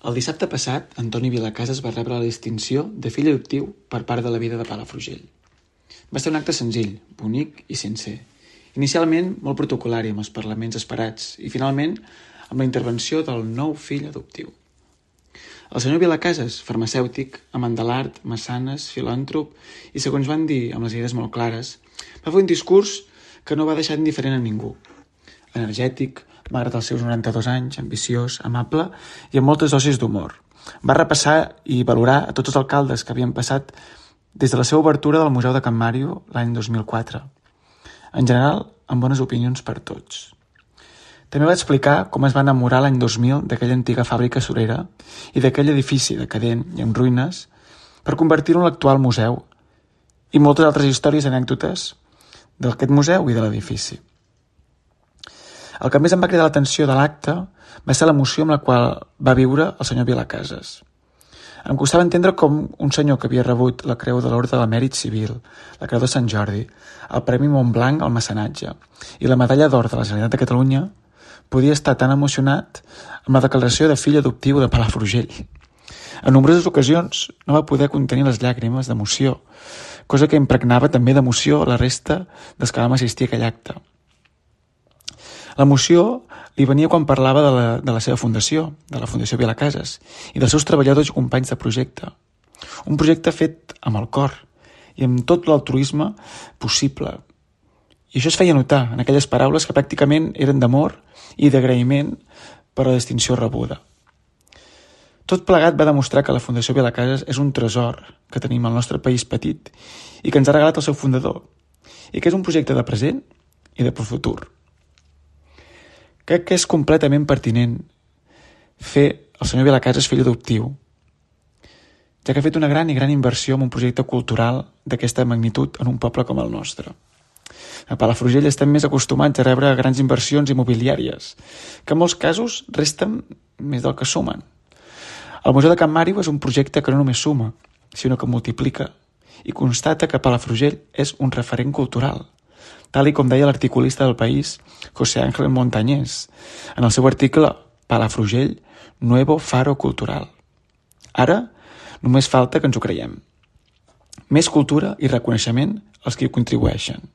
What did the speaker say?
El dissabte passat, Antoni Vilacases va rebre la distinció de fill adoptiu per part de la Vida de Palafrugell. Va ser un acte senzill, bonic i sincer. Inicialment molt protocolari amb els parlaments esperats i finalment amb la intervenció del nou fill adoptiu. El senyor Vilacases, farmacèutic, amant de l'art, mecenes, filàntrop i, segons van dir, amb les idees molt clares, va fer un discurs que no va deixar indiferent a ningú. Energètic, malgrat els seus 92 anys, ambiciós, amable i amb moltes dosis d'humor. Va repassar i valorar a tots els alcaldes que havien passat des de la seva obertura del Museu de Can Màrio l'any 2004. En general, amb bones opinions per tots. També va explicar com es va enamorar l'any 2000 d'aquella antiga fàbrica surera i d'aquell edifici decadent i en ruïnes per convertir-ho en l'actual museu i moltes altres històries i anècdotes d'aquest museu i de l'edifici. El que més em va cridar l'atenció de l'acte va ser l'emoció amb la qual va viure el senyor Vilacases. Em costava entendre com un senyor que havia rebut la Creu de l'Orde del Mèrit Civil, la Creu de Sant Jordi, el Premi Montblanc al Mecenatge i la Medalla d'Or de la Generalitat de Catalunya podia estar tan emocionat amb la declaració de fill adoptiu de Palafrugell. En nombroses ocasions no va poder contenir les llàgrimes d'emoció, cosa que impregnava també d'emoció la resta dels que vam assistir a aquell acte. L'emoció li venia quan parlava de la seva fundació, de la Fundació Vilacases, i dels seus treballadors i companys de projecte. Un projecte fet amb el cor i amb tot l'altruisme possible. I això es feia notar en aquelles paraules que pràcticament eren d'amor i d'agraïment per la distinció rebuda. Tot plegat va demostrar que la Fundació Vilacases és un tresor que tenim al nostre país petit i que ens ha regalat el seu fundador, i que és un projecte de present i de futur. Crec que és completament pertinent fer el senyor Vilacases fill adoptiu, ja que ha fet una gran i gran inversió en un projecte cultural d'aquesta magnitud en un poble com el nostre. A Palafrugell estem més acostumats a rebre grans inversions immobiliàries, que en molts casos resten més del que sumen. El Museu de Can Màrio és un projecte que no només suma, sinó que multiplica i constata que Palafrugell és un referent cultural, tal i com deia l'articulista del País, José Ángel Montañés, en el seu article Palafrugell, Nuevo Faro Cultural. Ara només falta que ens ho creiem. Més cultura i reconeixement als que hi contribueixen.